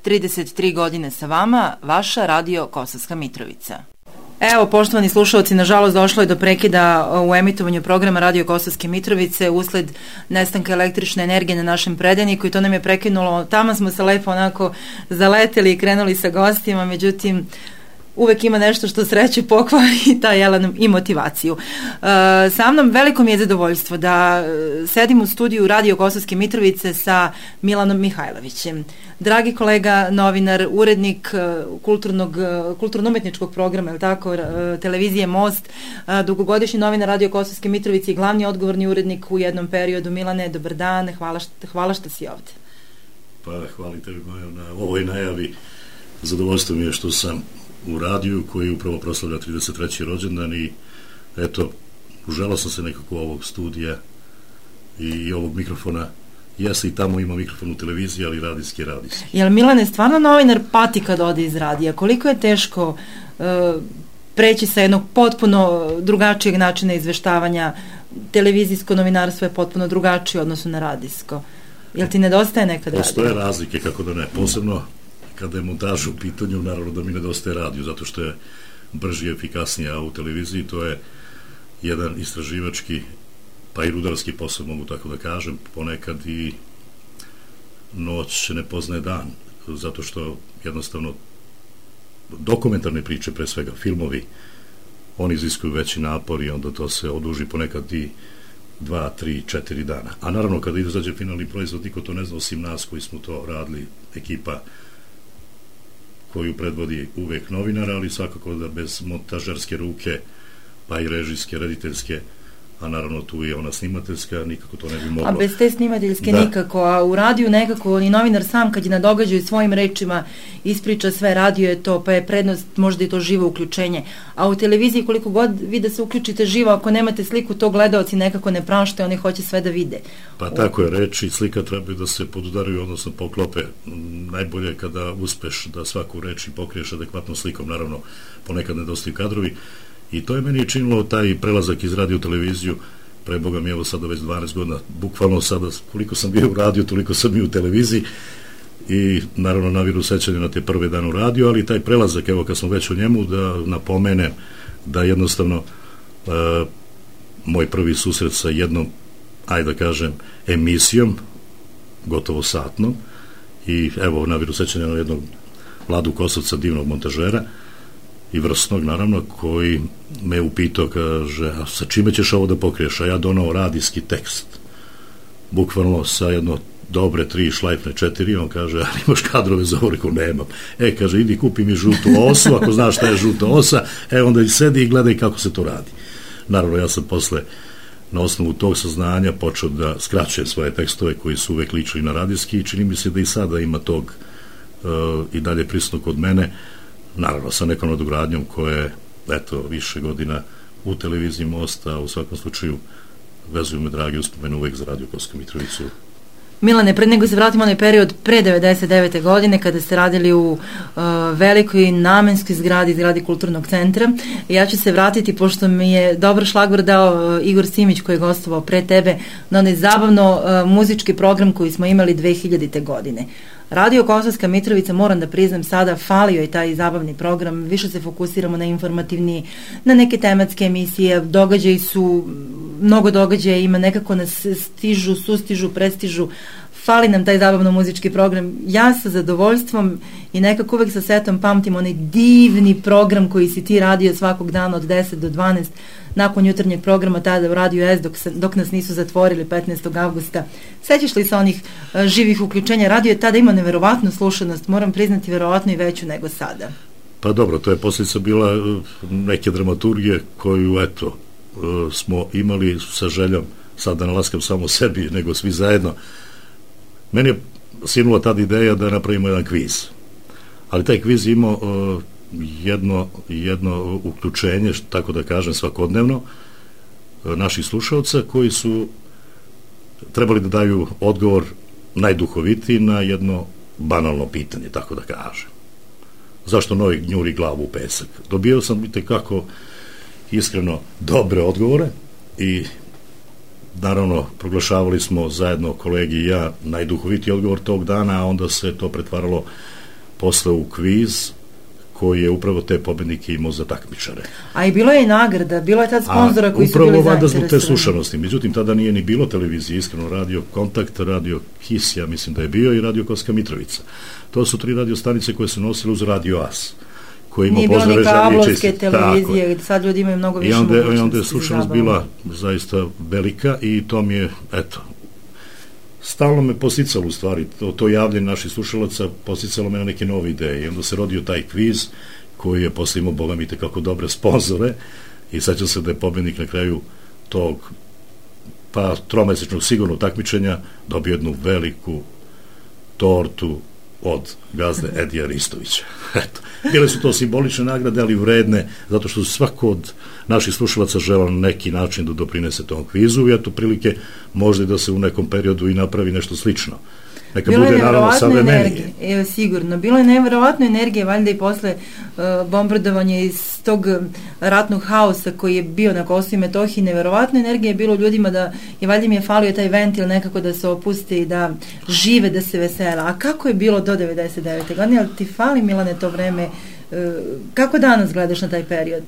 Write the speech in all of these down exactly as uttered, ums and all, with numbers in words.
trideset tri godine sa vama, vaša radio Kosovska Mitrovica. Evo, poštovani slušalci, nažalost došlo je do prekida u emitovanju programa Radio Kosovske Mitrovice usled nestanka električne energije na našem predajniku i to nam je prekinulo. Tamo smo se lepo onako zaleteli i krenuli sa gostima, međutim uvek ima nešto što sreće pokvari i taj jelan i motivaciju. E, sa mnom veliko mi je zadovoljstvo da sedim u studiju Radio Kosovske Mitrovice sa Milanom Mihajlovićem. Dragi kolega, novinar, urednik kulturnog, kulturno-umetničkog programa, je li tako, televizije Most, dugogodišnji novinar Radio Kosovske Mitrovice i glavni odgovorni urednik u jednom periodu. Milane, dobar dan, hvala što, hvala što si ovde. Pa, hvala tebi, Majo, na ovoj najavi. Zadovoljstvo mi je što sam u radiju koji upravo proslavlja trideset treći rođendan i eto, uželao sam se nekako ovog studija i ovog mikrofona. Jesi i tamo ima mikrofon u televiziji, ali radijski radijski. Jel Milane, stvarno novinar pati kad ode iz radija? Koliko je teško uh, preći sa jednog potpuno drugačijeg načina izveštavanja? Televizijsko novinarstvo je potpuno drugačije u odnosu na radijsko. Jel ti nedostaje nekad radio? Postoje razlike, kako da ne. Posebno kada je montaž u pitanju, naravno da mi nedostaje radio, zato što je brži i efikasniji, a u televiziji to je jedan istraživački pa i rudarski posao, mogu tako da kažem, ponekad i noć ne poznaje dan, zato što jednostavno dokumentarne priče, pre svega filmovi, oni iziskuju veći napor i onda to se oduži ponekad i dva, tri, četiri dana. A naravno kada izađe finalni proizvod, niko to ne zna osim nas koji smo to radili, ekipa koju predvodi uvek novinara, ali svakako da bez montažerske ruke, pa i režijske, rediteljske, a naravno tu je ona snimateljska, nikako to ne bi moglo. A bez te snimateljske da. Nikako, a u radiju nekako ni novinar sam kad je na događaju svojim rečima ispriča sve, radio je to, pa je prednost možda i to živo uključenje. A u televiziji koliko god vi da se uključite živo, ako nemate sliku, to gledaoci nekako ne prašte, oni hoće sve da vide. Pa u... tako je, reči i slika trebaju da se podudaraju, odnosno poklope. Najbolje je kada uspeš da svaku reč pokriješ adekvatnom slikom, naravno ponekad nedostaju kadrovi. I to je meni činilo taj prelazak iz radio u televiziju, pre Boga mi evo sada već dvanaest godina, bukvalno sada koliko sam bio u radiju, toliko sam i u televiziji i naravno naviru sećanje na te prve dane u radiju, ali taj prelazak, evo kad smo već u njemu, da napomenem da jednostavno e, moj prvi susret sa jednom, ajde da kažem, emisijom, gotovo satnom, i evo naviru sećanje na jednog Vladu Kosovca, divnog montažera, i vrsnog, naravno, koji me upitao, kaže, a sa čime ćeš ovo da pokriješ? A ja donao radijski tekst. Bukvalno sa jedno dobre tri šlajfne četiri, on kaže, ali imaš kadrove za ovo? Rekao, nemam. E, kaže, idi kupi mi žutu osu, ako znaš šta je žuta osa, e, onda i sedi i gledaj kako se to radi. Naravno, ja sam posle, na osnovu tog saznanja, počeo da skraćujem svoje tekstove koji su uvek ličili na radijski i čini mi se da i sada ima tog uh, i dalje prisutno kod mene, naravno sa nekom nadogradnjom koja je, eto, više godina u televiziji Mosta, u svakom slučaju vezuju me dragi uspomenu uvek za Radio Kosovsku Mitrovicu. Milane, pred nego se vratimo onaj period pre devedeset devete godine kada ste radili u uh, velikoj namenskoj zgradi, zgradi Kulturnog centra. Ja ću se vratiti, pošto mi je dobar šlagvor dao uh, Igor Simić koji je gostovao pre tebe, na onaj zabavno uh, muzički program koji smo imali dve hiljadite godine. Radio Kosovska Mitrovica, moram da priznam sada, falio je taj zabavni program, više se fokusiramo na informativni, na neke tematske emisije, događaji su, mnogo događaja ima, nekako nas stižu, sustižu, prestižu, fali nam taj zabavno muzički program. Ja sa zadovoljstvom i nekako uvek sa setom pamtim onaj divni program koji si ti radio svakog dana od deset do dvanaest, nakon jutarnjeg programa tada u Radio S, dok, se, dok nas nisu zatvorili petnaestog avgusta. Sećaš li se onih uh, živih uključenja? Radio je tada ima neverovatnu slušanost, moram priznati verovatno i veću nego sada. Pa dobro, to je posljedica bila uh, neke dramaturgije koju, eto, uh, smo imali sa željom, sad da nalaskam samo sebi, nego svi zajedno. Meni je sinula tada ideja da napravimo jedan kviz. Ali taj kviz imao uh, jedno, jedno uključenje, tako da kažem, svakodnevno uh, naših slušalca koji su trebali da daju odgovor najduhovitiji na jedno banalno pitanje, tako da kažem. Zašto Novi gnjuri glavu u pesak? Dobio sam i tekako iskreno dobre odgovore i naravno proglašavali smo zajedno kolegi i ja najduhovitiji odgovor tog dana, a onda se to pretvaralo posle u kviz koji je upravo te pobednike imao za takmičare. A i bilo je i nagrada, bilo je tad sponzora koji su bili zainteresovani. Upravo zainteresovani. zbog te slušanosti. Međutim, tada nije ni bilo televizije, iskreno, radio Kontakt, radio Kis, ja mislim da je bio, i radio Kosovska Mitrovica. To su tri radio stanice koje se nosile uz radio As. Koji ima nije bilo ni kablovske televizije, tako, sad ljudi imaju mnogo više I onda, mogućnosti. I onda je slušanost bila zaista velika i to mi je, eto, stalno me posticalo u stvari, to, to javljanje naših slušalaca posticalo me na neke nove ideje i onda se rodio taj kviz koji je posle imao, boga mi, tekako dobre sponzore i sećam se da je pobednik na kraju tog pa tromesečnog sigurno takmičenja dobio jednu veliku tortu od gazde Edija Ristovića. Eto, bile su to simbolične nagrade, ali vredne, zato što svako od naših slušalaca želeo na neki način da doprinese tom kvizu i eto prilike možda da se u nekom periodu i napravi nešto slično. Neka bilo bude naravno savremenije. Evo, sigurno. Bilo je nevjerovatno energije, valjda i posle uh, bombardovanja iz tog ratnog haosa koji je bio na Kosovu i Metohiji, nevjerovatno energije je bilo ljudima da je valjda mi je falio taj ventil nekako da se opuste i da žive, da se vesela. A kako je bilo do devedeset devete godine? Ali ti fali, Milane, to vreme? Uh, kako danas gledaš na taj period?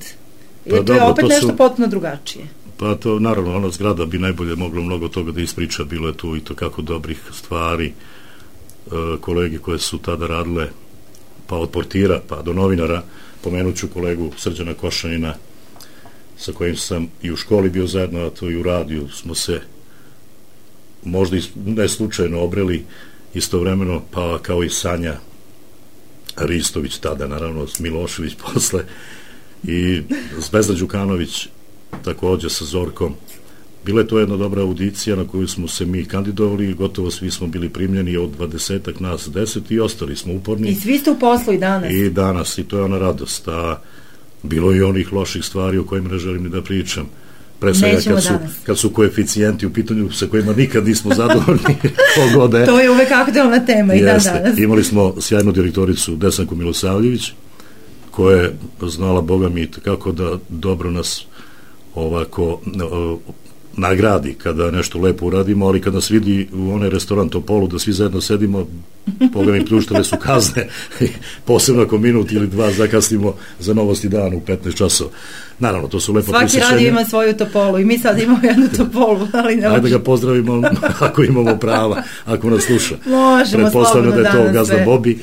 Pa, to dobro, je opet to nešto su... potpuno drugačije. Pa to, naravno, ona zgrada bi najbolje moglo mnogo toga da ispriča, bilo je tu i to kako dobrih stvari, e, kolege koje su tada radile, pa od portira, pa do novinara, pomenuću kolegu Srđana Košanina, sa kojim sam i u školi bio zajedno, a to i u radiju smo se možda i ne slučajno obreli istovremeno, pa kao i Sanja Ristović tada, naravno, Milošević posle, i Zvezda Đukanović, takođe sa Zorkom. Bila je to jedna dobra audicija na koju smo se mi kandidovali i gotovo svi smo bili primljeni od dvadesetak nas deset i ostali smo uporni. I svi ste u poslu i danas. I danas, i to je ona radost. A bilo je i onih loših stvari o kojima ne želim ni da pričam. Pre svega kad su, kad su koeficijenti u pitanju sa kojima nikad nismo zadovoljni. Pogode. To je uvek aktualna tema i dan danas. Imali smo sjajnu direktoricu Desanku Milosavljević, koja je znala, boga mi, kako da dobro nas ovako o, nagradi kada nešto lepo uradimo, ali kada nas vidi u onaj restoran Topolu da svi zajedno sedimo, boga mi, pljuštale su kazne, posebno ako minut ili dva zakasnimo za Novosti dan u petnaest časova. Naravno, to su lepo prisjećenja. Svaki radio ima svoju Topolu i mi sad imamo jednu Topolu, ali ne Ajde da ga pozdravimo ako imamo prava, ako nas sluša. Možemo slobodno da je to Gazda sve. Bobi,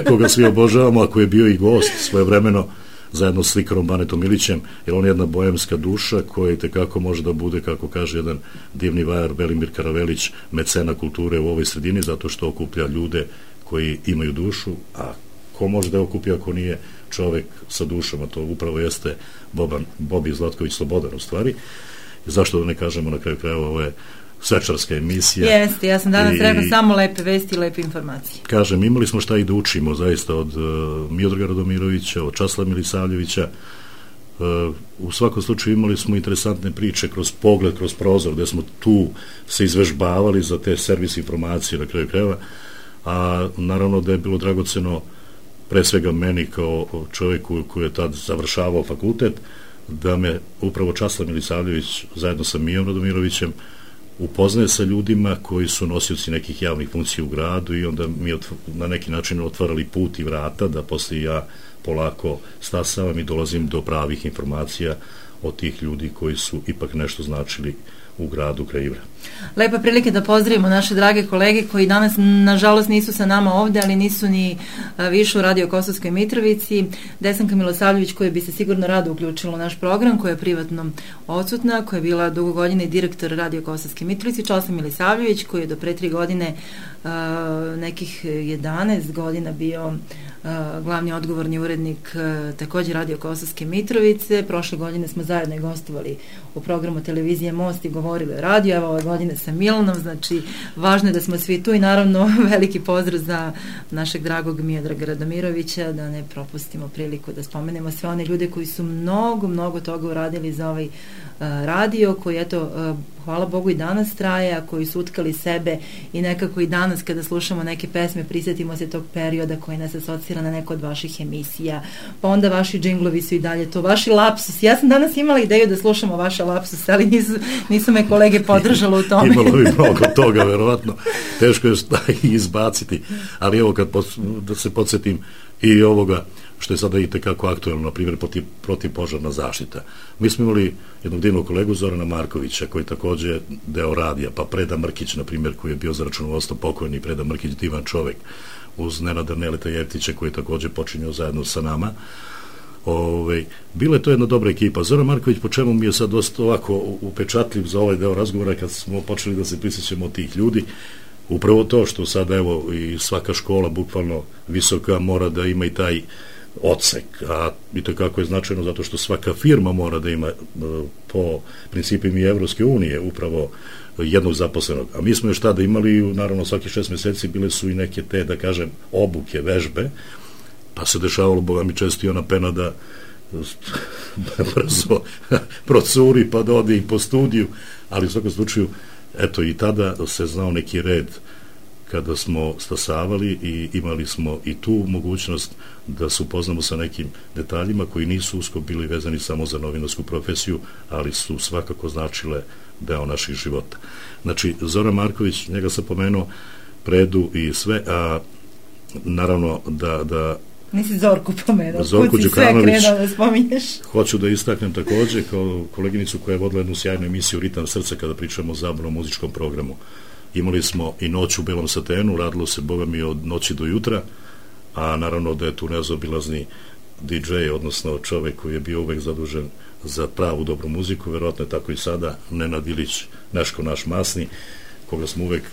koga svi obožavamo, ako je bio i gost svojevremeno zajedno s slikarom Banetom Milićem, jer on je jedna bojemska duša koja tekako može da bude, kako kaže jedan divni vajar Velimir Karavelić, mecena kulture u ovoj sredini, zato što okuplja ljude koji imaju dušu, a ko može da je okupi ako nije čovek sa dušama, to upravo jeste Boban, Bobi Zlatković Slobodan u stvari. Zašto da ne kažemo na kraju krajeva, ovo je svečarska emisija. Jeste, ja sam danas rekla samo lepe vesti i lepe informacije. Kažem, imali smo šta i da učimo zaista od uh, Miodraga Radomirovića, od Časlava Milisavljevića. Uh, u svakom slučaju imali smo interesantne priče kroz pogled, kroz prozor, gde smo tu se izvežbavali za te servis informacije na kraju krajeva, a naravno da je bilo dragoceno pre svega meni kao čoveku koji je tad završavao fakultet, da me upravo Časlav Milisavljević zajedno sa Mijom Radomirovićem upoznaje sa ljudima koji su nosioci nekih javnih funkcija u gradu i onda mi na neki način otvarali put i vrata da posle ja polako stasavam i dolazim do pravih informacija od tih ljudi koji su ipak nešto značili u gradu kraj Ivra. Lepa prilike da pozdravimo naše drage kolege koji danas nažalost nisu sa nama ovde, ali nisu ni više u Radio Kosovskoj Mitrovici. Desanka Milosavljević koja bi se sigurno rado uključila u naš program, koja je privatno odsutna, koja je bila dugo godine direktor Radio Kosovske Mitrovici, Časlav Milisavljević koji je do pre tri godine nekih jedanaest godina bio glavni odgovorni urednik takođe Radio Kosovske Mitrovice. Prošle godine smo zajedno gostovali u programu televizije Most i govorili o radiju, evo ove godine sa Milanom, znači važno je da smo svi tu i naravno veliki pozdrav za našeg dragog Miodraga Radomirovića, da ne propustimo priliku da spomenemo sve one ljude koji su mnogo, mnogo toga uradili za ovaj radio koji, eto, hvala Bogu i danas traje, a koji su utkali sebe i nekako i danas kada slušamo neke pesme prisjetimo se tog perioda koji nas asocira na neko od vaših emisija, pa onda vaši džinglovi su i dalje to, vaši lapsus. Ja sam danas imala ideju da slušamo vaše lapsus, ali nisu, nisu me kolege podržalo u tome. Imalo bi mnogo toga, verovatno. Teško je izbaciti, ali evo kad pod, da se podsjetim i ovoga što je sada i tekako aktuelno, na primjer, protiv, protivpožarna zaštita. Mi smo imali jednog divnog kolegu Zorana Markovića, koji je takođe deo radija, pa Preda Mrkić, na primjer, koji je bio za računovodstvo pokojni, Preda Mrkić, divan čovek, uz Nenada Neleta Jeftića, koji je takođe počinio zajedno sa nama. Ove, bila je to jedna dobra ekipa. Zoran Marković, po čemu mi je sad dosta ovako upečatljiv za ovaj deo razgovora, kad smo počeli da se prisjećamo od tih ljudi, upravo to što sad, evo, i svaka škola, bukvalno visoka, mora da ima i taj odsek, a i to kako je značajno zato što svaka firma mora da ima po principima i Evropske unije upravo jednog zaposlenog. A mi smo još tada imali, naravno svaki šest meseci bile su i neke te, da kažem, obuke, vežbe, pa se dešavalo, boga mi često i ona pena da brzo procuri pa da ode i po studiju, ali u svakom slučaju, eto, i tada se znao neki red kada smo stasavali i imali smo i tu mogućnost da se upoznamo sa nekim detaljima koji nisu usko bili vezani samo za novinarsku profesiju, ali su svakako značile deo naših života. Znači, Zoran Marković, njega sam pomenuo, Predu i sve, a naravno da... da Nisi Zorku pomenuo, Zorku kuci sve krenuo da spominješ. Hoću da istaknem takođe kao koleginicu koja je vodila jednu sjajnu emisiju Ritam srca kada pričamo o zabavnom muzičkom programu. Imali smo i noć u belom satenu, radilo se, boga mi, od noći do jutra, a naravno da je tu nezaobilazni di džej, odnosno čovek koji je bio uvek zadužen za pravu dobru muziku, verovatno je tako i sada, Nenad Ilić, Neško naš masni, koga smo uvek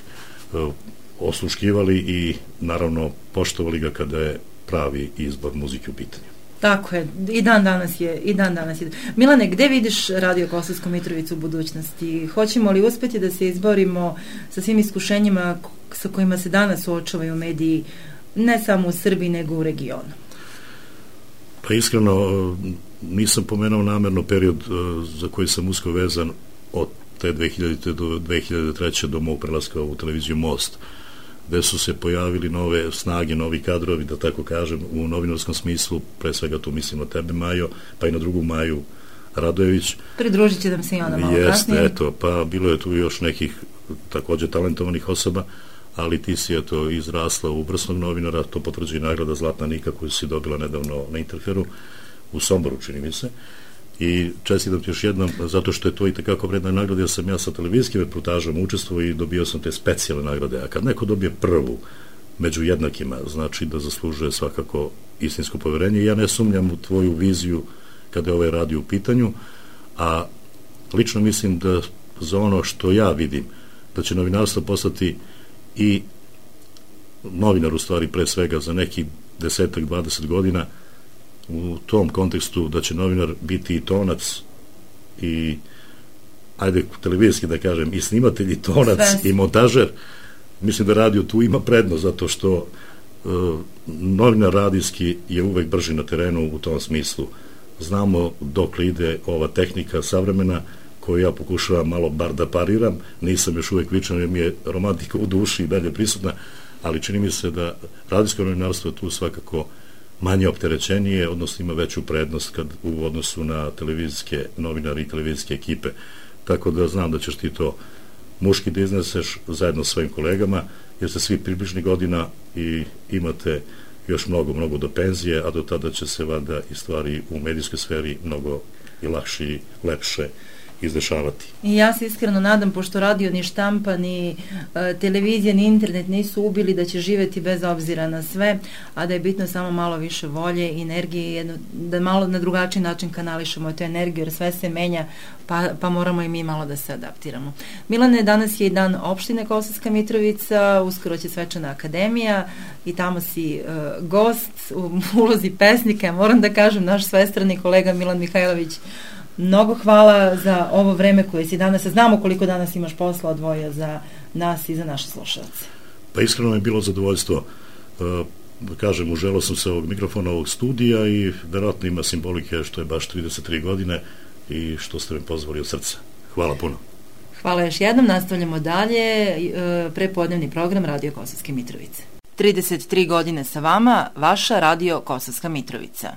uh, osluškivali i naravno poštovali ga kada je pravi izbor muzike u pitanju. Tako je, i dan danas je, i dan danas je. Milane, gde vidiš Radio Kosovsku Mitrovicu u budućnosti? Hoćemo li uspeti da se izborimo sa svim iskušenjima sa kojima se danas suočavaju mediji, ne samo u Srbiji, nego u regionu? Pa iskreno, nisam pomenuo namerno period za koji sam usko vezan od te dve hiljadite do dve hiljade treće do mog prelaska u televiziju Most, gde su se pojavili nove snage, novi kadrovi, da tako kažem, u novinarskom smislu, pre svega tu mislim na tebe, Majo, pa i na drugu Maju Radojević. Pridružit će nam se i ona malo Jeste, kasnije. Eto, pa bilo je tu još nekih takođe talentovanih osoba, ali ti si eto izrasla u vrsnog novinara, to potvrđuje nagrada Zlatna Nika koju si dobila nedavno na Interferu, u Somboru, čini mi se. I čestitam ti još jednom, zato što je to i tekako vredna nagrada, jer sam ja sa televizijskim reportažom učestvovao i dobio sam te specijalne nagrade, a kad neko dobije prvu među jednakima, znači da zaslužuje svakako istinsko poverenje. Ja ne sumnjam u tvoju viziju kada je ovaj radio u pitanju, a lično mislim da za ono što ja vidim, da će novinarstvo postati i novinar u stvari pre svega za neki desetak, dvadeset godina, u tom kontekstu da će novinar biti i tonac i ajde televizijski da kažem i snimatelj i tonac Sve. I montažer. Mislim da radio tu ima prednost zato što uh, novinar radijski je uvek brži na terenu u tom smislu. Znamo dok ide ova tehnika savremena koju ja pokušavam malo bar da pariram, nisam još uvek vičan jer mi je romantika u duši i dalje prisutna, ali čini mi se da radijsko novinarstvo je tu svakako manje opterećenije, odnosno ima veću prednost kad u odnosu na televizijske novinari i televizijske ekipe. Tako da znam da ćeš ti to muški da izneseš zajedno s svojim kolegama, jer ste svi približni godina i imate još mnogo, mnogo do penzije, a do tada će se vada i stvari u medijskoj sferi mnogo i lakše i lepše izdešavati. I ja se iskreno nadam, pošto radio ni štampa, ni e, televizija, ni internet nisu ubili, da će živeti bez obzira na sve, a da je bitno samo malo više volje i energije, jedno, da malo na drugačiji način kanališemo tu energiju, jer sve se menja, pa, pa moramo i mi malo da se adaptiramo. Milane, danas je i dan opštine Kosovska Mitrovica, uskoro će svečana akademija i tamo si e, gost u ulozi pesnika. Moram da kažem, naš svestrani kolega Milan Mihajlović, mnogo hvala za ovo vreme koje si danas, znamo koliko danas imaš posla odvojio za nas i za naše slušalce. Pa iskreno je bilo zadovoljstvo, da kažem, uželao sam se ovog mikrofona, ovog studija i verovatno ima simbolike što je baš trideset tri godine, i što ste me pozvali od srca. Hvala puno. Hvala još jednom, nastavljamo dalje prepodnevni program Radio Kosovske Mitrovice. trideset tri godine sa vama, vaša Radio Kosovska Mitrovica.